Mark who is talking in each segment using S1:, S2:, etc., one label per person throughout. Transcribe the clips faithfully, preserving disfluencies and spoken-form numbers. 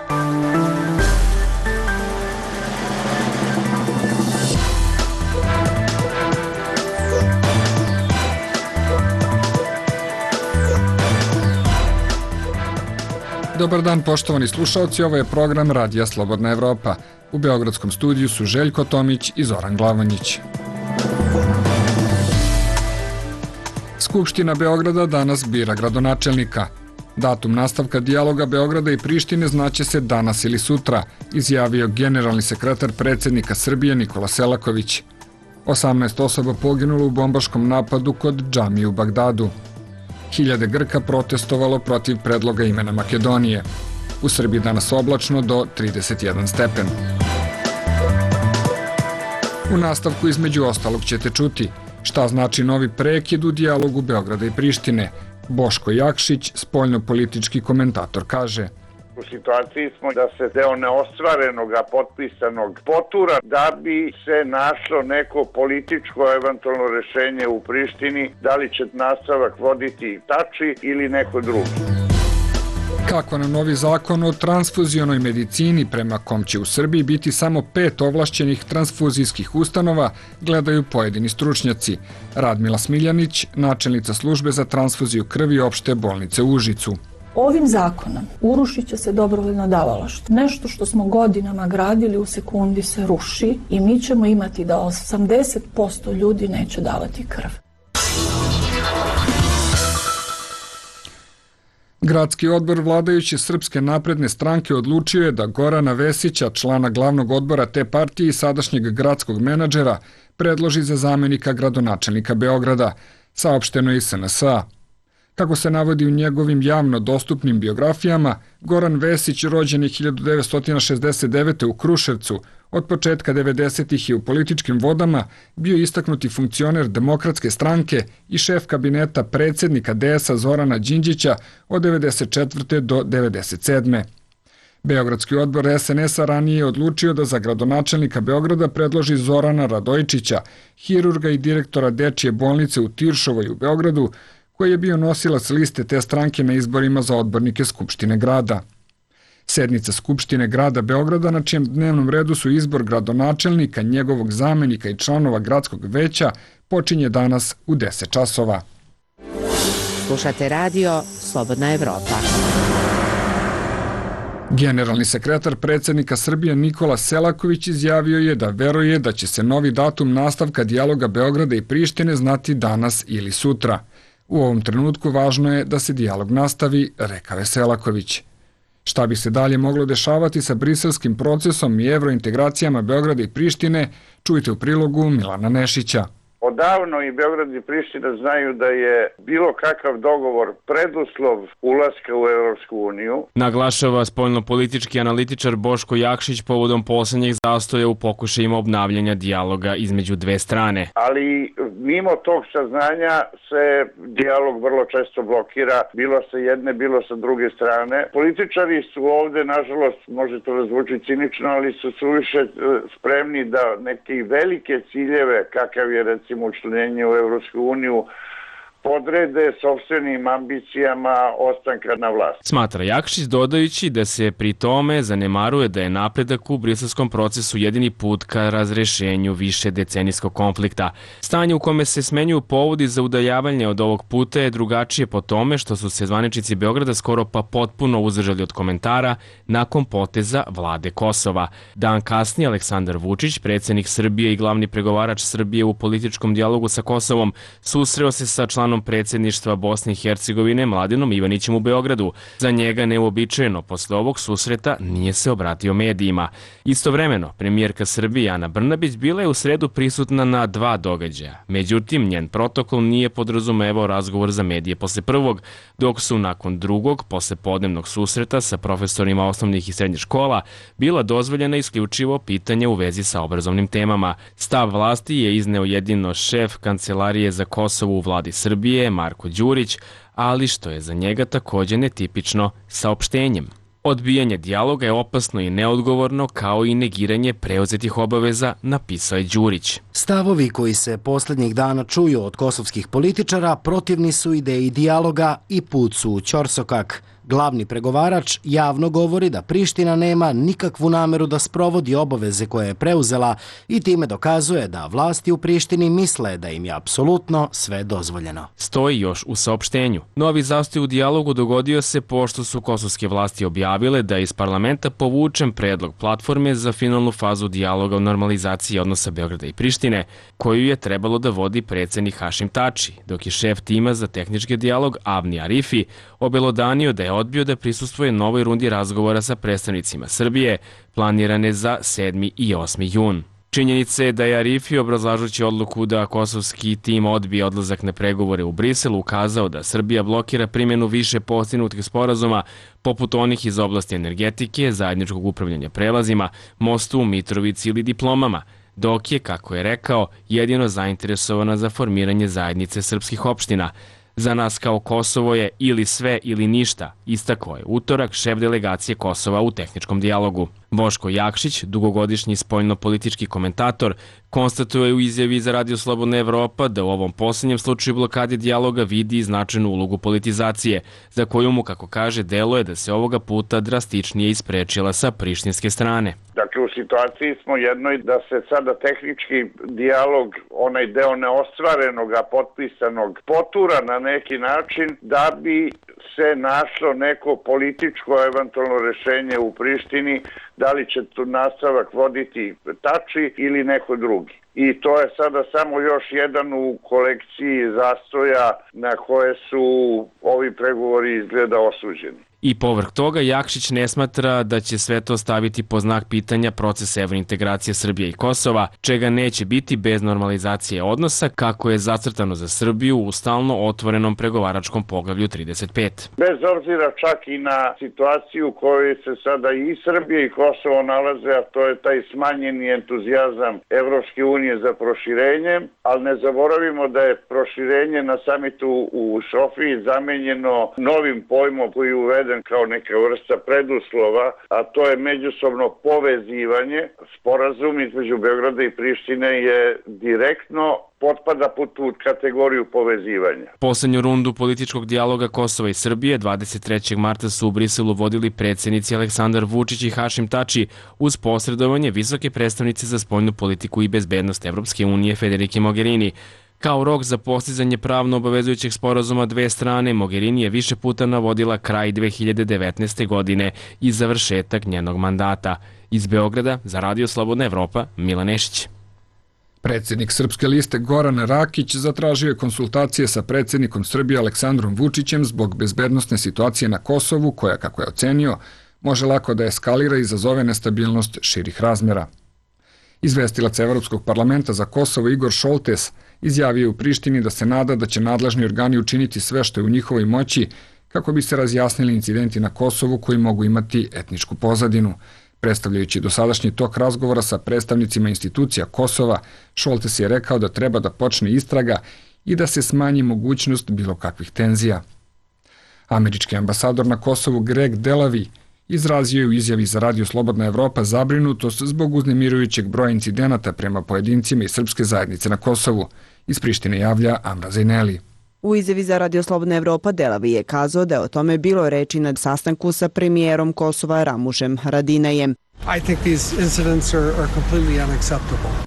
S1: Dobar dan, poštovani slušalci, ovo je program Radija Slobodna Evropa. U beogradskom studiju su Željko Tomić i Zoran Glavonjić. Skupština Beograda danas bira gradonačelnika. Datum nastavka dijaloga Beograda i Prištine znaće se danas ili sutra, izjavio generalni sekretar predsjednika Srbije Nikola Selaković. osamnaest osoba poginulo u bombaškom napadu kod džamije u Bagdadu. Hiljade Grka protestovalo protiv predloga imena Makedonije. U Srbiji danas oblačno do trideset jedan stepen. U nastavku između ostalog ćete čuti šta znači novi prekid u dijalogu Beograda i Prištine. Boško Jakšić, spoljnopolitički komentator, kaže:
S2: U situaciji smo da se deo neostvarenog, potpisanog potura da bi se našlo neko političko eventualno rešenje u Prištini, da li će nastavak voditi Tači ili neko drugi.
S1: Kako na novi zakon o transfuzionoj medicini, prema kom će u Srbiji biti samo pet ovlašćenih transfuzijskih ustanova, gledaju pojedini stručnjaci. Radmila Smiljanić, načelnica službe za transfuziju krvi opšte bolnice u Užicu.
S3: Ovim zakonom urušit će se dobrovoljno davalaštvo. Nešto što smo godinama gradili u sekundi se ruši i mi ćemo imati da osamdeset posto ljudi neće davati krv.
S1: Gradski odbor vladajuće Srpske napredne stranke odlučio je da Gorana Vesića, člana glavnog odbora te partije i sadašnjeg gradskog menadžera, predloži za zamenika gradonačelnika Beograda, saopšteno je iz S N S A. Kako se navodi u njegovim javno dostupnim biografijama, Goran Vesić rođen je hiljadu devetsto šezdeset devete. u Kruševcu, od početka devedesetih je u političkim vodama bio istaknuti funkcioner Demokratske stranke i šef kabineta predsjednika D S A Zorana Đinđića od devedeset četvrte do devedeset sedme. Beogradski odbor S N S A ranije je odlučio da za gradonačelnika Beograda predloži Zorana Radojičića, hirurga i direktora Dečije bolnice u Tiršovoj u Beogradu, koji je bio nosilac liste te stranke na izborima za odbornike Skupštine grada. Sednica Skupštine grada Beograda, na čijem dnevnom redu su izbor gradonačelnika, njegovog zamenika i članova gradskog veća, počinje danas u deset časova.
S4: Slušate radio Slobodna Evropa.
S1: Generalni sekretar predsjednika Srbije Nikola Selaković izjavio je da veruje da će se novi datum nastavka dijaloga Beograda i Prištine znati danas ili sutra. U ovom trenutku važno je da se dijalog nastavi, rekao je Selaković. Šta bi se dalje moglo dešavati sa briselskim procesom i evrointegracijama Beograda i Prištine, čujte u prilogu Milana Nešića.
S2: Odavno i Beograd i Priština znaju da je bilo kakav dogovor preduslov ulaska u Evropsku uniju.
S5: Naglašava spoljnopolitički analitičar Boško Jakšić povodom poslednjeg zastoja u pokušajima obnavljanja dijaloga između dve strane.
S2: Ali mimo tog saznanja se dijalog vrlo često blokira, bilo sa jedne, bilo sa druge strane. Političari su ovde, nažalost, može to razvuči cinično, ali su suviše spremni da neke velike ciljeve, kakav je recimo učlanjenje u Evropsku uniju, podrede sopstvenim ambicijama ostanka na vlasti.
S5: Smatra Jakšić, dodajući da se pri tome zanemaruje da je napredak u briselskom procesu jedini put ka razrešenju više decenijskog konflikta. Stanje u kome se smenjuju povodi za udaljavanje od ovog puta je drugačije po tome što su se zvaničnici Beograda skoro pa potpuno uzdržali od komentara nakon poteza vlade Kosova. Dan kasnije Aleksandar Vučić, predsjednik Srbije i glavni pregovarač Srbije u političkom dijalogu sa Kosovom, susreo se sa članom predsjedništva Bosne i Hercegovine Mladenom Ivanićem u Beogradu. Za njega neuobičajeno posle ovog susreta nije se obratio medijima. Istovremeno, premijerka Srbije Ana Brnabić bila je u sredu prisutna na dva događaja. Međutim, njen protokol nije podrazumevao razgovor za medije posle prvog, dok su nakon drugog, posle podnevnog susreta sa profesorima osnovnih i srednjih škola, bila dozvoljena isključivo pitanja u vezi sa obrazovnim temama. Stav vlasti je izneo jedino šef Kancelarije za Kosovo u vladi Srbije, Marko Đurić, ali što je za njega također netipično, saopštenjem. Odbijanje dijaloga je opasno i neodgovorno, kao i negiranje preuzetih obaveza, napisao je Đurić.
S6: Stavovi koji se posljednjih dana čuju od kosovskih političara protivni su ideji dijaloga i put su u ćorsokak. Glavni pregovarač javno govori da Priština nema nikakvu nameru da sprovodi obaveze koje je preuzela i time dokazuje da vlasti u Prištini misle da im je apsolutno sve dozvoljeno.
S5: Stoji još u saopštenju. Novi zastoj u dijalogu dogodio se pošto su kosovske vlasti objavile da je iz parlamenta povučen predlog platforme za finalnu fazu dijaloga o normalizaciji odnosa Beograda i Prištine, koju je trebalo da vodi predsjednik Hašim Tači, dok je šef tima za tehnički dijalog Avni Arifi obelodanio da je odbio da prisustvuje novoj rundi razgovora sa predstavnicima Srbije, planirane za sedmi i osmi jun. Činjenica je da je Arifi, obrazlažući odluku da kosovski tim odbije odlazak na pregovore u Briselu, ukazao da Srbija blokira primjenu više postignutih sporazuma, poput onih iz oblasti energetike, zajedničkog upravljanja prelazima, mostu u Mitrovici ili diplomama, dok je, kako je rekao, jedino zainteresovana za formiranje zajednice srpskih opština. Za nas kao Kosovo je ili sve ili ništa, istakao je utorak šef delegacije Kosova u tehničkom dijalogu. Boško Jakšić, dugogodišnji spoljno-politički komentator, konstatuje u izjavi za Radio Slobodna Evropa da u ovom posljednjem slučaju blokade dijaloga vidi značajnu ulogu politizacije, za koju mu, kako kaže, deluje da se ovoga puta drastičnije isprečila sa prištinske strane.
S2: Dakle, u situaciji smo jednoj da se sada tehnički dijalog, onaj deo neostvarenog, a potpisanog, potura na neki način da bi se našlo neko političko eventualno rešenje u Prištini, da li će tu nastavak voditi Tači ili neko drugi. I to je sada samo još jedan u kolekciji zastoja na koje su ovi pregovori izgleda osuđeni.
S5: I povrh toga, Jakšić ne smatra da će sve to staviti po znak pitanja proces evrointegracije Srbije i Kosova, čega neće biti bez normalizacije odnosa, kako je zacrtano za Srbiju u stalno otvorenom pregovaračkom poglavlju trideset pet.
S2: Bez obzira čak i na situaciju u kojoj se sada i Srbija i Kosovo nalaze, a to je taj smanjeni entuzijazam Evropske unije za proširenje, ali ne zaboravimo da je proširenje na samitu u Sofiji zamenjeno novim pojmom koji je uveden kao neka vrsta preduslova, a to je međusobno povezivanje. Sporazum između Beograda i Prištine je direktno potpada pod tu kategoriju povezivanja.
S5: Poslednju rundu političkog dijaloga Kosova i Srbije dvadeset trećeg marta su u Briselu vodili predsjednici Aleksandar Vučić i Hašim Tači uz posredovanje visoke predstavnice za spoljnu politiku i bezbednost Evropske unije Federike Mogherini. Kao rok za postizanje pravno obavezujućeg sporazuma dve strane, Mogherini je više puta navodila kraj dve hiljade devetnaeste. godine i završetak njenog mandata. Iz Beograda za Radio Slobodna Evropa, Milan Nešić.
S1: Predsjednik Srpske liste Goran Rakić zatražio je konsultacije sa predsjednikom Srbije Aleksandrom Vučićem zbog bezbednosne situacije na Kosovu, koja, kako je ocenio, može lako da eskalira i izazove nestabilnost širih razmjera. Izvestilac Evropskog parlamenta za Kosovo Igor Šoltes izjavio je u Prištini da se nada da će nadležni organi učiniti sve što je u njihovoj moći kako bi se razjasnili incidenti na Kosovu koji mogu imati etničku pozadinu. Predstavljajući dosadašnji tok razgovora sa predstavnicima institucija Kosova, Šoltes je rekao da treba da počne istraga i da se smanji mogućnost bilo kakvih tenzija. Američki ambasador na Kosovu Greg Delavi izrazio je u izjavi za Radio Slobodna Evropa zabrinutost zbog uznemirujućeg broja incidenata prema pojedincima iz srpske zajednice na Kosovu. Iz Prištine javlja Amra Zajneli.
S7: U izjavi za Radio Slobodna Evropa Delavi je kazao da je o tome bilo reči na sastanku sa premijerom Kosova Ramušem Haradinajem.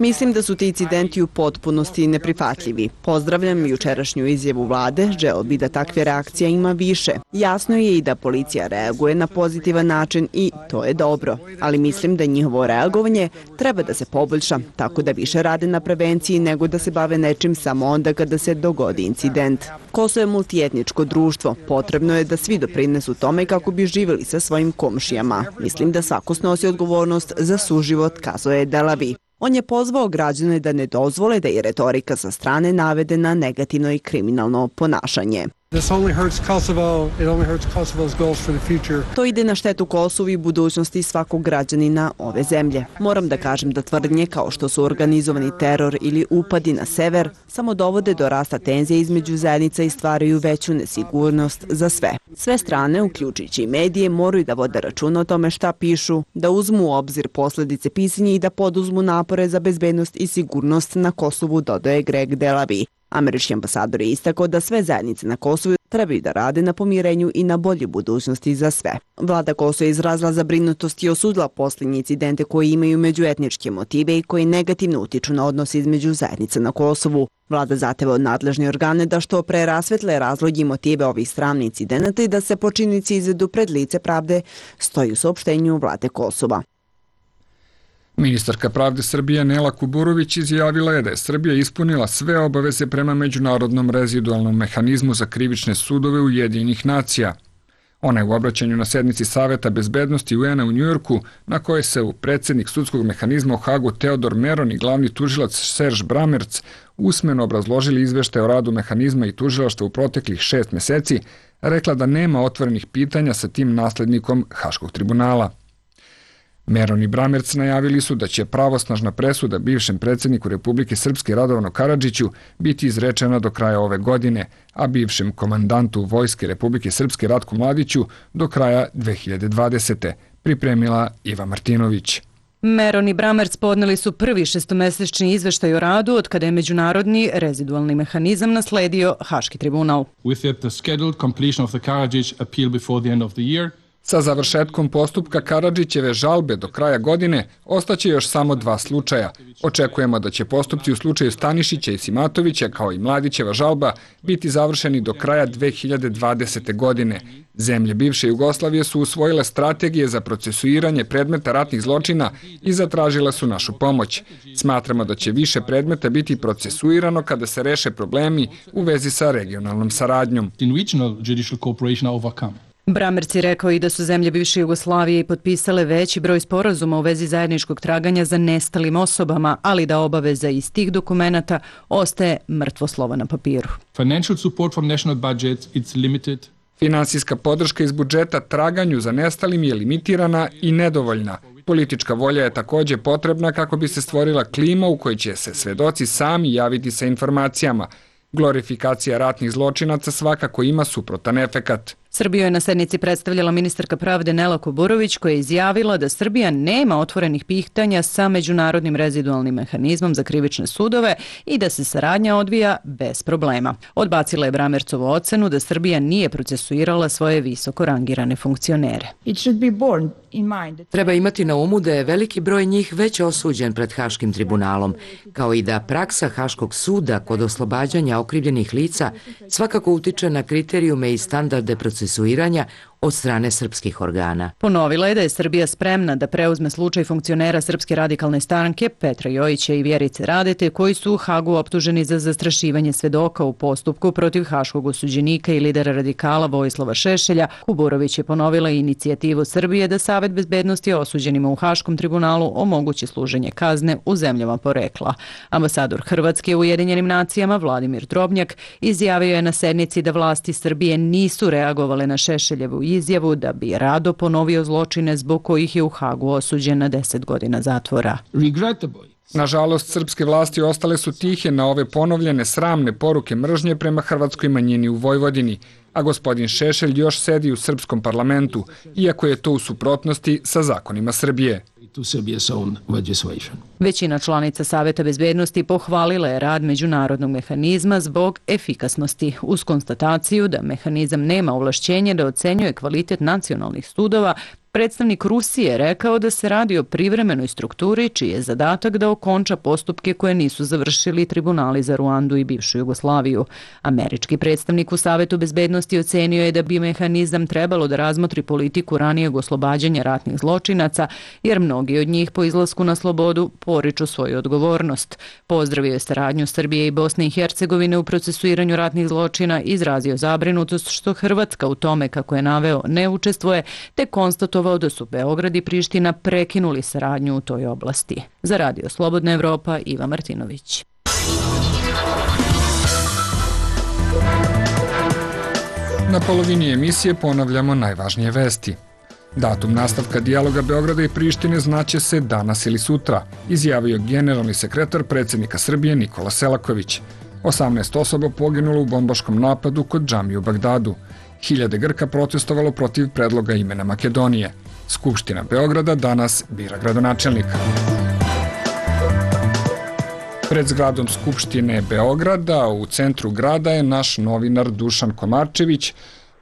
S7: Mislim da su ti incidenti u potpunosti neprihvatljivi. Pozdravljam jučerašnju izjavu vlade, želeo bi da takve reakcija ima više. Jasno je i da policija reaguje na pozitivan način i to je dobro, ali mislim da njihovo reagovanje treba da se poboljša, tako da više rade na prevenciji nego da se bave nečim samo onda kada se dogodi incident. Kosovo je multietničko društvo, potrebno je da svi doprinesu tome kako bi živjeli sa svojim komšijama. Mislim da svako snosi odgovornost za suživot, kazao je Delavi. On je pozvao građane da ne dozvole da je retorika sa strane navede na negativno i kriminalno ponašanje.
S8: This only hurts Kosovo. It only hurts Kosovo's goals for the future.
S7: To ide na štetu Kosovu i budućnosti svakog građanina ove zemlje. Moram da kažem da tvrdnje kao što su organizovani teror ili upadi na sever samo dovode do rasta tenzija između zajednica i stvaraju veću nesigurnost za sve. Sve strane, uključujući i medije, moraju da vode računa o tome šta pišu, da uzmu u obzir posledice pisanja i da poduzmu napore za bezbednost i sigurnost na Kosovu, dodaje Greg Delaby. Američki ambasador je istakao da sve zajednice na Kosovu trebaju da rade na pomirenju i na bolje budućnosti za sve. Vlada Kosova je izrazila zabrinutost i osudila posljednje incidente koji imaju međuetničke motive i koji negativno utiču na odnos između zajednica na Kosovu. Vlada zahteva od nadležnih organe da što pre rasvetle razloge i motive ovih sramnih incidenata i da se počinnici izvedu pred lice pravde, stoji u saopštenju vlade Kosova.
S1: Ministarka pravde Srbije Nela Kuburović izjavila je da je Srbija ispunila sve obaveze prema Međunarodnom rezidualnom mehanizmu za krivične sudove Ujedinjenih nacija. Ona je u obraćanju na sednici Saveta bezbednosti U N-a u Njujorku, na kojoj se u predsjednik sudskog mehanizma u Hagu Teodor Meron i glavni tužilac Serge Bramerc usmeno obrazložili izveštaj o radu mehanizma i tužilaštva u proteklih šest meseci, rekla da nema otvorenih pitanja sa tim naslednikom Haškog tribunala. Meron i Bramerc najavili su da će pravosnažna presuda bivšem predsjedniku Republike Srpske Radovanu Karadžiću biti izrečena do kraja ove godine, a bivšem komandantu Vojske Republike Srpske Ratku Mladiću do kraja dve hiljade dvadesete. Pripremila Iva Martinović.
S9: Meron i Bramerc podneli su prvi šestomesečni izveštaj o radu od kada je Međunarodni rezidualni mehanizam nasledio Haški tribunal.
S10: With it, the scheduled completion of the Karadžić appeal before the end of the year.
S1: Sa završetkom postupka Karadžićeve žalbe do kraja godine ostaće još samo dva slučaja. Očekujemo da će postupci u slučaju Stanišića i Simatovića, kao i Mladićeva žalba, biti završeni do kraja dve hiljade dvadesete. godine. Zemlje bivše Jugoslavije su usvojile strategije za procesuiranje predmeta ratnih zločina i zatražile su našu pomoć. Smatramo da će više predmeta biti procesuirano kada se reše problemi u vezi sa regionalnom saradnjom.
S9: Bramerc je rekao i da su zemlje bivše Jugoslavije potpisale veći broj sporazuma u vezi zajedničkog traganja za nestalim osobama, ali da obaveza iz tih dokumenata ostaje mrtvo slovo na papiru.
S10: Financial support from national budgets it's limited.
S1: Finansijska podrška iz budžeta traganju za nestalim je limitirana i nedovoljna. Politička volja je također potrebna kako bi se stvorila klima u kojoj će se svedoci sami javiti sa informacijama. Glorifikacija ratnih zločinaca svakako ima suprotan efekat.
S9: Srbiju je na sednici predstavljala ministarka pravde Nela Kuburović, koja je izjavila da Srbija nema otvorenih pitanja sa Međunarodnim rezidualnim mehanizmom za krivične sudove i da se saradnja odvija bez problema. Odbacila je Bramercovu ocenu da Srbija nije procesuirala svoje visoko rangirane funkcionere.
S11: Treba imati na umu da je veliki broj njih već osuđen pred Haškim tribunalom, kao i da praksa Haškog suda kod oslobađanja okrivljenih lica svakako utiče na kriterijume i standarde procesuiranja od strane srpskih organa.
S9: Ponovila je da je Srbija spremna da preuzme slučaj funkcionera Srpske radikalne stranke Petra Jojića i Vjerice Radete, koji su u Hagu optuženi za zastrašivanje svedoka u postupku protiv haškog osuđenika i lidera radikala Vojislava Šešelja. Kuburović je ponovila inicijativu Srbije da Savet bezbednosti osuđenima u Haškom tribunalu omogući služenje kazne u zemljama porekla. Ambasador Hrvatske u Ujedinjenim nacijama Vladimir Drobnjak izjavio je na sednici da vlasti Srbije nisu reagovale na Šešeljevu izjavu da bi rado ponovio zločine zbog kojih je u Hagu osuđen na deset godina zatvora.
S1: Nažalost, srpske vlasti ostale su tihe na ove ponovljene sramne poruke mržnje prema hrvatskoj manjini u Vojvodini, a gospodin Šešelj još sedi u srpskom parlamentu, iako je to u suprotnosti sa zakonima Srbije.
S9: Većina članica Saveta bezbednosti pohvalila je rad međunarodnog mehanizma zbog efikasnosti, uz konstataciju da mehanizam nema ovlašćenje da ocenjuje kvalitet nacionalnih sudova. Predstavnik Rusije rekao da se radi o privremenoj strukturi čiji je zadatak da okonča postupke koje nisu završili tribunali za Ruandu i bivšu Jugoslaviju. Američki predstavnik u Savetu bezbednosti ocenio je da bi mehanizam trebalo da razmotri politiku ranijeg oslobađanja ratnih zločinaca, jer mnogi od njih po izlasku na slobodu poriču svoju odgovornost. Pozdravio je saradnju Srbije i Bosne i Hercegovine u procesuiranju ratnih zločina, izrazio zabrinutost što Hrvatska u tome, kako je naveo, ne učestvuje, te konstatovao da su Beograd i Priština prekinuli saradnju u toj oblasti. Za Radio Slobodna Evropa, Iva Martinović.
S1: Na polovini emisije ponavljamo najvažnije vesti. Datum nastavka dijaloga Beograda i Prištine znaće se danas ili sutra, izjavio generalni sekretar predsjednika Srbije Nikola Selaković. osamnaest osoba poginulo u bombaškom napadu kod džamije u Bagdadu. Hiljade Grka protestovalo protiv predloga imena Makedonije. Skupština Beograda danas bira gradonačelnika. Pred zgradom Skupštine Beograda u centru grada je naš novinar Dušan Komarčević,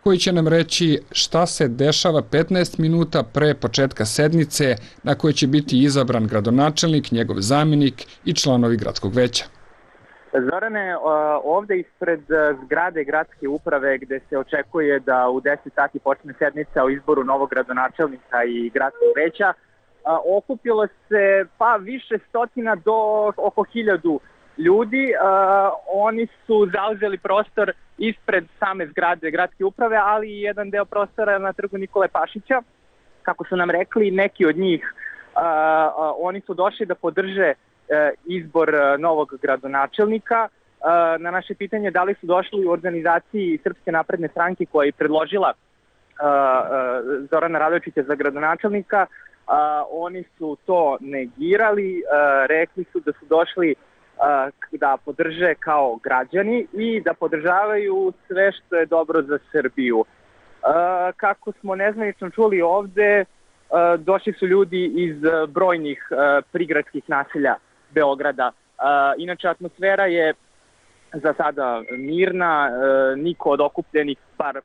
S1: koji će nam reći šta se dešava petnaest minuta pre početka sednice na kojoj će biti izabran gradonačelnik, njegov zamjenik i članovi gradskog veća.
S12: Zorane, ovde ispred zgrade gradske uprave gde se očekuje da u deset sati počne sednica o izboru novog gradonačelnika i gradskog veća, okupilo se pa više stotina do oko hiljadu ljudi. Oni su zauzeli prostor ispred same zgrade gradske uprave, ali i jedan deo prostora na trgu Nikole Pašića. Kako su nam rekli, neki od njih, oni su došli da podrže izbor novog gradonačelnika. Na naše pitanje da li su došli u organizaciji Srpske napredne stranke koja je predložila Zorana Radojičića za gradonačelnika, oni su to negirali, rekli su da su došli da podrže kao građani i da podržavaju sve što je dobro za Srbiju. Kako smo nezvanično čuli ovde, došli su ljudi iz brojnih prigradskih naselja Beograda. Inače, atmosfera je za sada mirna, niko od okupljenih, bar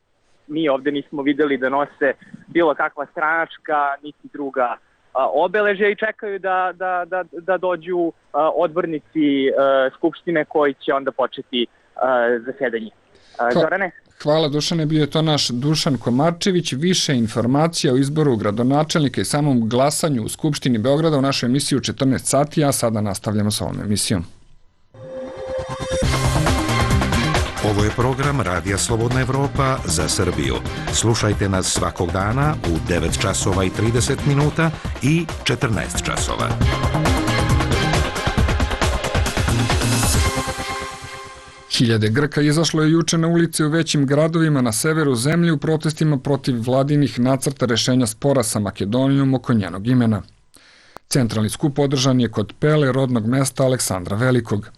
S12: mi ovde nismo videli da nose bilo kakva stranačka niti druga obeležja i čekaju da, da, da, da dođu odbornici Skupštine koji će onda početi zasedanje. Zorane?
S1: Hvala Dušane, bio je to naš Dušan Komarčević. Više informacija o izboru gradonačelnika i samom glasanju u Skupštini Beograda u našoj emisiji u četrnaest sati, a sada nastavljamo sa ovom emisijom.
S13: Ovo je program Radija Slobodna Evropa za Srbiju. Slušajte nas svakog dana u devet časova i trideset minuta i četrnaest časova.
S1: Hiljade Grka izašlo je juče na ulice u većim gradovima na severu zemlje u protestima protiv vladinih nacrta rešenja spora sa Makedonijom oko njenog imena. Centralni skup održan je kod Pele, rodnog mesta Aleksandra Velikog.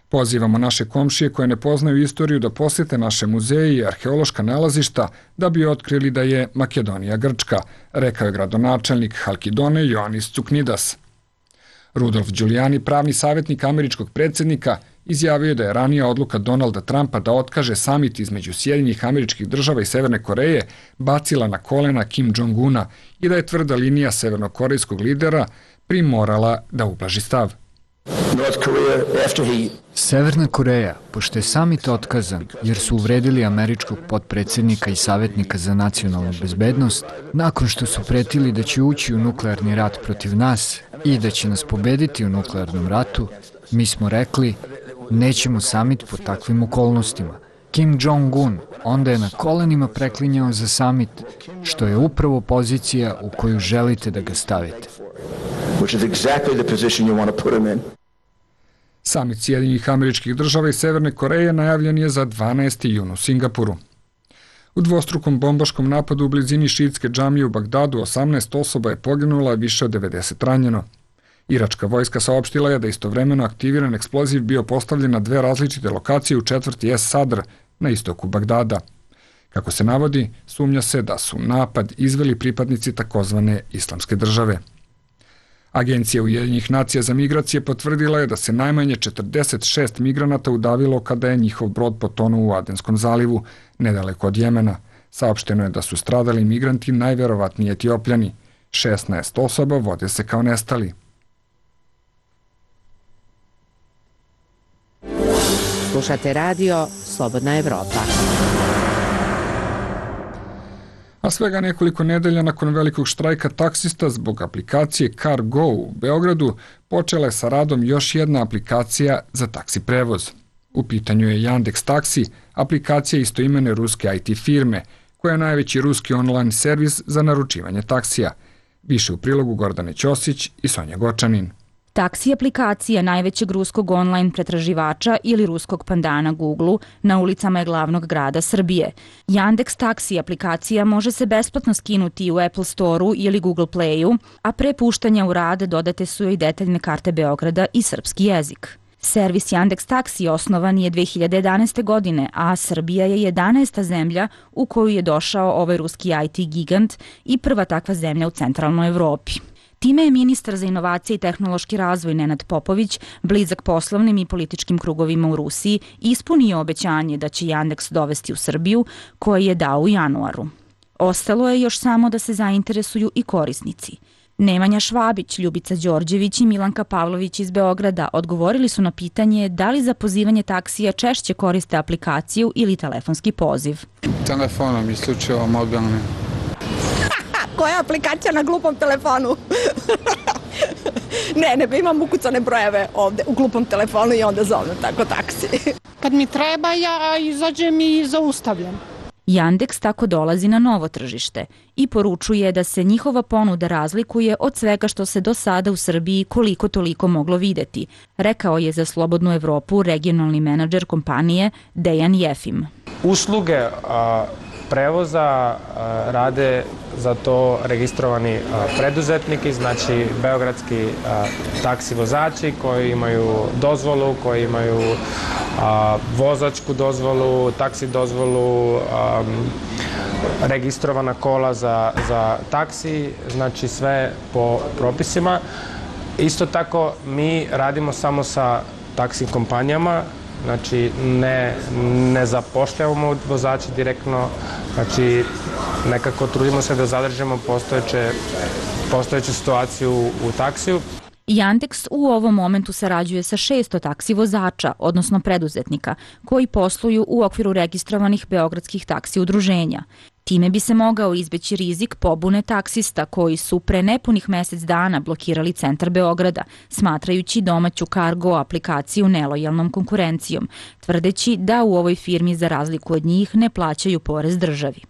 S1: Pozivamo naše komšije koje ne poznaju istoriju da posete naše muzeje i arheološka nalazišta da bi otkrili da je Makedonija Grčka, rekao je gradonačelnik Halkidone Ioannis Tsuknidas. Rudolf Giuliani, pravni savjetnik američkog predsjednika, izjavio je da je ranija odluka Donalda Trumpa da otkaže samit između Sjedinjenih Američkih Država i Severne Koreje bacila na kolena Kim Jong-una i da je tvrda linija severnokorejskog lidera primorala da ublaži stav.
S14: Severna Koreja, pošto je samit otkazan jer su uvredili američkog potpredsjednika i savjetnika za nacionalnu bezbednost, nakon što su pretili da će ući u nuklearni rat protiv nas i da će nas pobediti u nuklearnom ratu, mi smo rekli nećemo samit pod takvim okolnostima. Kim Jong-un onda je na kolenima preklinjao za samit, što je upravo pozicija u koju želite da ga stavite.
S1: Samit Sjedinjenih Američkih Država i Severne Koreje najavljen je za dvanaesti jun u Singapuru. U dvostrukom bombaškom napadu u blizini šiitske džamije u Bagdadu osamnaest osoba je poginula, a više od devedeset ranjeno. Iračka vojska saopštila je da istovremeno aktiviran eksploziv bio postavljen na dve različite lokacije u četvrti Es Sadr na istoku Bagdada. Kako se navodi, sumnja se da su napad izveli pripadnici takozvane Islamske države. Agencija Ujedinjenih nacija za migracije potvrdila je da se najmanje četrdeset šest migranata udavilo kada je njihov brod potonuo u Adenskom zalivu, nedaleko od Jemena. Saopšteno je da su stradali migranti najverovatniji Etiopljani. šesnaest osoba vode se kao nestali.
S4: Slušate radio Slobodna Evropa.
S1: A svega nekoliko nedelja nakon velikog štrajka taksista zbog aplikacije CarGo u Beogradu počela je sa radom još jedna aplikacija za taksi prevoz. U pitanju je Yandex Taksi, aplikacija istoimene ruske I T firme, koja je najveći ruski online servis za naručivanje taksija. Više u prilogu Gordane Ćosić i Sonja Gočanin.
S15: Taksi aplikacija najvećeg ruskog online pretraživača ili ruskog pandana Google na ulicama je glavnog grada Srbije. Yandex Taksi aplikacija može se besplatno skinuti u Apple Store-u ili Google Play-u, a pre puštanja u rad dodate su joj detaljne karte Beograda i srpski jezik. Servis Yandex Taksi osnovan je dve hiljade jedanaeste. godine, a Srbija je jedanaesta zemlja u koju je došao ovaj ruski I T gigant i prva takva zemlja u centralnoj Evropi. Time je ministar za inovacije i tehnološki razvoj Nenad Popović, blizak poslovnim i političkim krugovima u Rusiji, ispunio obećanje da će Yandex dovesti u Srbiju, koje je dao u januaru. Ostalo je još samo da se zainteresuju i korisnici. Nemanja Švabić, Ljubica Đorđević i Milanka Pavlović iz Beograda odgovorili su na pitanje da li za pozivanje taksija češće koriste aplikaciju ili telefonski poziv.
S16: Telefonom, isključivo mobilnim.
S17: Koja je aplikacija na glupom telefonu? ne, ne, imam ukucane brojeve ovde u glupom telefonu i onda zovem tako taksi.
S18: Kad mi treba, ja izađem i zaustavljam.
S15: Yandex tako dolazi na novo tržište i poručuje da se njihova ponuda razlikuje od svega što se do sada u Srbiji koliko toliko moglo videti, rekao je za Slobodnu Evropu regionalni menadžer kompanije Dejan Jefim.
S19: Usluge a, prevoza a, rade za to registrovani a, preduzetniki, znači beogradski a, taksi vozači koji imaju dozvolu, koji imaju a, vozačku dozvolu, taksi dozvolu, a, registrovana kola za, za taksi, znači sve po propisima. Isto tako mi radimo samo sa taksi kompanijama, znači ne, ne zapošljavamo vozače direktno, znači nekako trudimo se da zadržimo postojeće, postojeću situaciju u taksiju.
S15: Yandex u ovom momentu sarađuje sa šesto taksi vozača, odnosno preduzetnika, koji posluju u okviru registrovanih beogradskih taksi udruženja. Time bi se mogao izbeći rizik pobune taksista koji su pre nepunih mesec dana blokirali centar Beograda, smatrajući domaću kargo aplikaciju nelojalnom konkurencijom, tvrdeći da u ovoj firmi za razliku od njih ne plaćaju porez državi.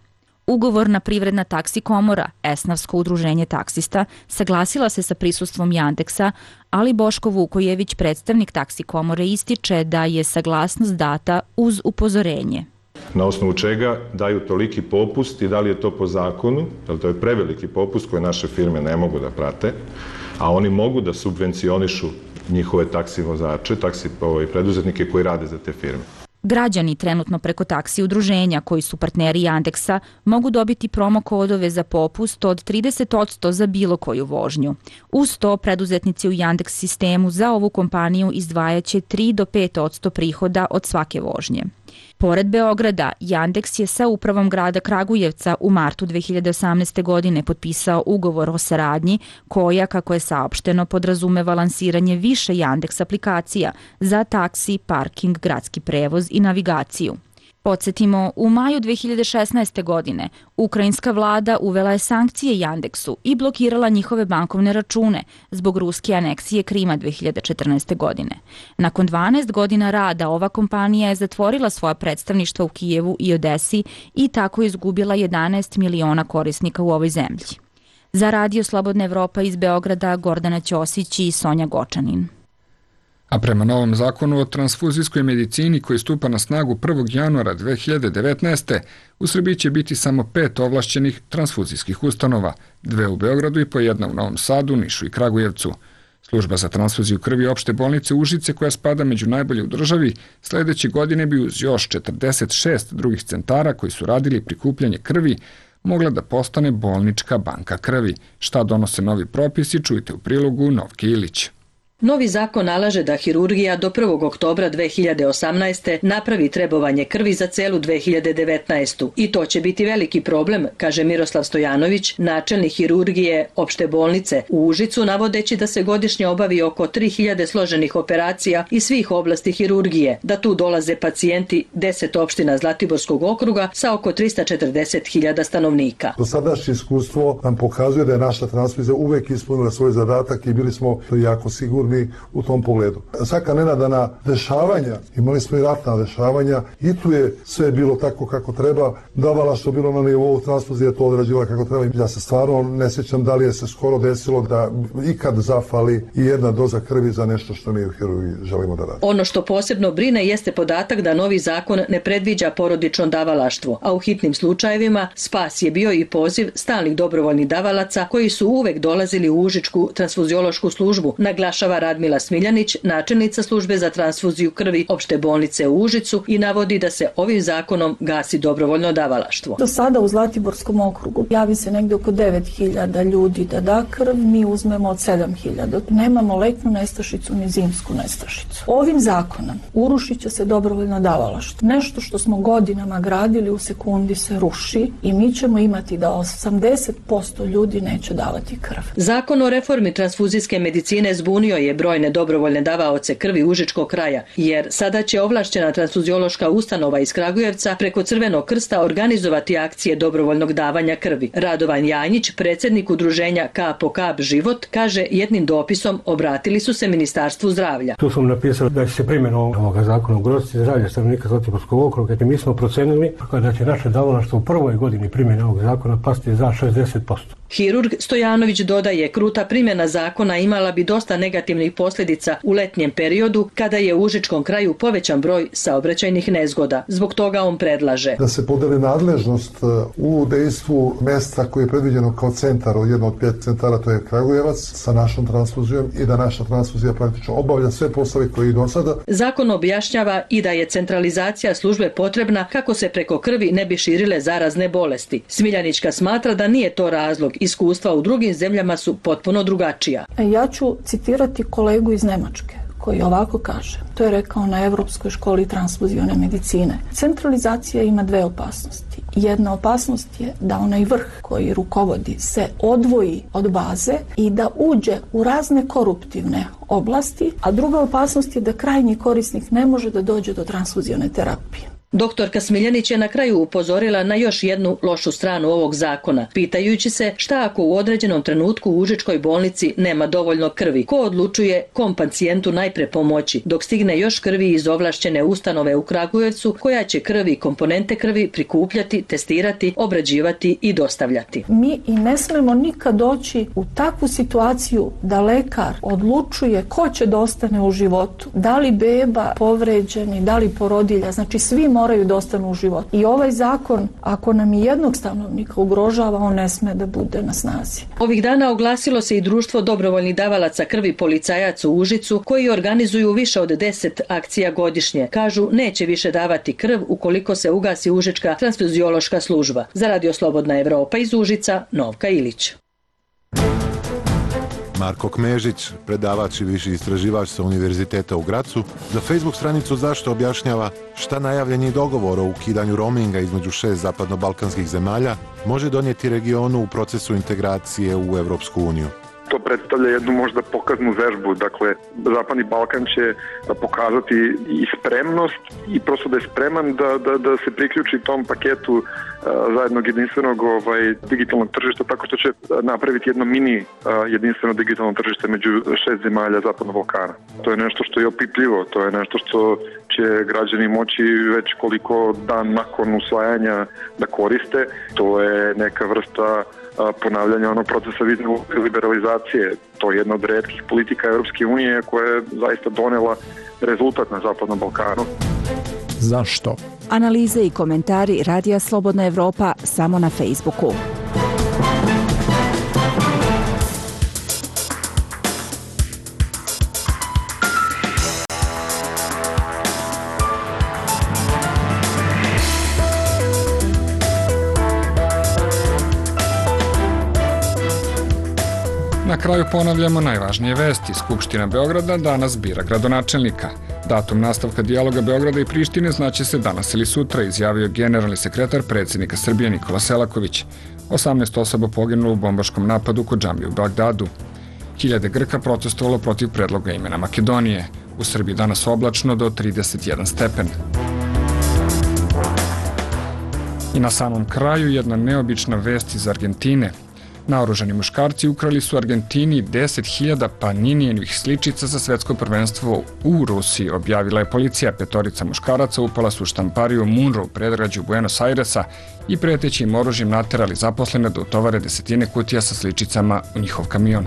S15: Ugovorna privredna taksi komora, Esnavsko udruženje taksista, saglasila se sa prisustvom Yandexa, ali Boško Vukojević, predstavnik taksi komore, ističe da je saglasnost data uz upozorenje.
S20: Na osnovu čega daju toliki popust i da li je to po zakonu, jer to je preveliki popust koje naše firme ne mogu da prate, a oni mogu da subvencionišu njihove taksi vozače, taksi preduzetnike koji rade za te firme.
S15: Građani trenutno preko taksi udruženja koji su partneri Yandexa mogu dobiti promo kodove za popust od trideset posto za bilo koju vožnju. Uz to preduzetnici u Yandex sistemu za ovu kompaniju izdvajaće tri do pet posto prihoda od svake vožnje. Pored Beograda, Yandex je sa upravom grada Kragujevca u martu dve hiljade osamnaeste. godine potpisao ugovor o saradnji koja, kako je saopšteno, podrazumeva lansiranje više Yandex aplikacija za taksi, parking, gradski prevoz i navigaciju. Podsjetimo, u maju dve hiljade šesnaeste. godine ukrajinska vlada uvela je sankcije Yandexu i blokirala njihove bankovne račune zbog ruske aneksije Krima dve hiljade četrnaeste. godine. Nakon dvanaest godina rada ova kompanija je zatvorila svoja predstavništva u Kijevu i Odesi i tako izgubila jedanaest miliona korisnika u ovoj zemlji. Za Radio Slobodna Evropa iz Beograda, Gordana Ćosić i Sonja Gočanin.
S1: A prema novom zakonu o transfuzijskoj medicini koji stupa na snagu prvog januara dve hiljade devetnaeste. u Srbiji će biti samo pet ovlašćenih transfuzijskih ustanova, dve u Beogradu i po jedna u Novom Sadu, Nišu i Kragujevcu. Služba za transfuziju krvi opšte bolnice Užice, koja spada među najbolje u državi, sledeće godine bi uz još četrdeset šest drugih centara koji su radili prikupljanje krvi, mogla da postane bolnička banka krvi. Šta donose novi propisi, čujte u prilogu Novke Ilić.
S21: Novi zakon nalaže da hirurgija do prvog oktobra dve hiljade osamnaeste. napravi trebovanje krvi za celu dve hiljade devetnaestu. I to će biti veliki problem, kaže Miroslav Stojanović, načelnik hirurgije opšte bolnice u Užicu, navodeći da se godišnje obavi oko tri hiljade složenih operacija iz svih oblasti hirurgije, da tu dolaze pacijenti deset opština Zlatiborskog okruga sa oko trista četrdeset hiljada stanovnika.
S22: Dosadašnje iskustvo nam pokazuje da je naša transfuzija uvek ispunila svoj zadatak i bili smo jako sigurni
S3: sigurni u tom pogledu. Svaka nenadana dešavanja, imali smo i ratna dešavanja, i tu je sve bilo tako kako treba, davala što bilo na nivou transfuzije, to odrađivala kako treba. Ja se stvarno ne sjećam da li je se skoro desilo da ikad zafali i jedna doza krvi za nešto što mi u hirurgiji želimo da radimo.
S21: Ono što posebno brine jeste podatak da novi zakon ne predviđa porodično davalaštvo, a u hitnim slučajevima spas je bio i poziv stalnih dobrovoljnih davalaca koji su uvek dolazili u Užičku transfuziološku službu, naglašava Radmila Smiljanić, načelnica službe za transfuziju krvi opšte bolnice u Užicu, i navodi da se ovim zakonom gasi dobrovoljno davalaštvo.
S22: Do sada u Zlatiborskom okrugu javi se negde oko devet hiljada ljudi da da krv, mi uzmemo od sedam hiljada. Nemamo letnju nestašicu ni zimsku nestašicu. Ovim zakonom urušit će se dobrovoljno davalaštvo. Nešto što smo godinama gradili u sekundi se ruši i mi ćemo imati da osamdeset posto ljudi neće davati krv.
S21: Zakon o reformi transfuzijske medicine zbunio je brojne dobrovoljne davaoce krvi Užičkog kraja, jer sada će ovlašćena transfuziološka ustanova iz Kragujevca preko Crvenog krsta organizovati akcije dobrovoljnog davanja krvi. Radovan Janjić, predsjednik udruženja Kap po kap život, kaže jednim dopisom obratili su se Ministarstvu zdravlja.
S23: Tu sam napisao da će se primjena ovoga zakona ugroziti zdravlje stanovnika Zlatiborskog okruga, jer mi smo procenili da će naše davalaštvo u prvoj godini primjene ovog zakona pasti za šezdeset posto.
S21: Hirurg Stojanović dodaje, kruta primjena zakona imala bi dosta negativnih posljedica u letnjem periodu kada je u Užičkom kraju povećan broj saobraćajnih nezgoda. Zbog toga on predlaže
S3: da se podeli nadležnost u dejstvu mesta koje je predviđeno kao centar, od jedno od pet centara, to je Kragujevac, sa našom transfuzijom, i da naša transfuzija praktično obavlja sve poslove koje i do sada.
S21: Zakon objašnjava i da je centralizacija službe potrebna kako se preko krvi ne bi širile zarazne bolesti. Smiljanićka smatra da nije to razlog. Iskustva u drugim zemljama su potpuno drugačija.
S22: Ja ću citirati kolegu iz Nemačke koji ovako kaže. To je rekao na Evropskoj školi transfuzione medicine. Centralizacija ima dve opasnosti. Jedna opasnost je da onaj vrh koji rukovodi se odvoji od baze i da uđe u razne koruptivne oblasti, a druga opasnost je da krajnji korisnik ne može da dođe do transfuzione terapije.
S21: Doktorka Smiljanić je na kraju upozorila na još jednu lošu stranu ovog zakona, pitajući se šta ako u određenom trenutku u Užičkoj bolnici nema dovoljno krvi, ko odlučuje kom pacijentu najpre pomoći, dok stigne još krvi iz ovlašćene ustanove u Kragujevcu, koja će krvi i komponente krvi prikupljati, testirati, obrađivati i dostavljati.
S22: Mi i ne smemo nikad doći u takvu situaciju da lekar odlučuje ko će da ostane u životu, da li beba povređeni, da li porodilja, znači svi moraju da ostanu u životu. I ovaj zakon, ako nam i jednog stanovnika ugrožava, on ne sme da bude na snazi.
S21: Ovih dana oglasilo se i društvo dobrovoljnih davalaca krvi policajaca u Užicu, koji organizuju više od deset akcija godišnje. Kažu, neće više davati krv ukoliko se ugasi Užička transfuziološka služba. Za Radio Slobodna Evropa iz Užica, Novka Ilić.
S24: Marko Kmežić, predavač i viši istraživač sa Univerziteta u Gracu, za Facebook stranicu Zašto objašnjava šta najavljeni dogovor o ukidanju roaminga između šest zapadno-balkanskih zemalja može donijeti regionu u procesu integracije u Evropsku uniju.
S25: To predstavlja jednu možda pokaznu vežbu, dakle Zapadni Balkan će pokazati i spremnost i prosto da je spreman da, da, da se priključi tom paketu uh, zajednog jedinstvenog ovaj, digitalnog tržišta, tako što će napraviti jedno mini uh, jedinstveno digitalno tržište među šest zemalja Zapadnog Balkana. To je nešto što je opipljivo, to je nešto što će građani moći već koliko dan nakon usvajanja da koriste. To je neka vrsta ponavljanja onog procesa vizne liberalizacije. To je jedna od retkih politika Europske unije koja je zaista donela rezultat na Zapadnom Balkanu.
S26: Zašto?
S15: Analize i komentari Radija Slobodna Evropa samo na Facebooku.
S1: Na kraju ponavljamo najvažnije vesti. Skupština Beograda danas bira gradonačelnika. Datum nastavka dijaloga Beograda i Prištine znaće se danas ili sutra, izjavio generalni sekretar predsjednika Srbije Nikola Selaković. osamnaest osoba poginulo u bombaškom napadu kod džamije u Bagdadu. Hiljade Grka protestovalo protiv predloga imena Makedonije. U Srbiji danas oblačno do trideset jedan stepen. I na samom kraju jedna neobična vest iz Argentine. Naoružani muškarci ukrali su Argentini deset hiljada Paninijenih sličica za svetsko prvenstvo u Rusiji, objavila je policija. Petorica muškaraca upala su u štampariju Munro u predgrađu Buenos Airesa i pretećim oružjem naterali zaposlene da utovare desetine kutija sa sličicama u njihov kamion.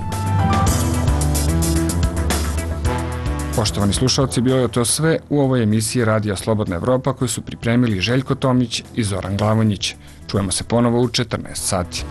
S1: Poštovani slušalci, bilo je to sve u ovoj emisiji Radija Slobodna Evropa koju su pripremili Željko Tomić i Zoran Glavonjić. Čujemo se ponovo u četrnaest sati.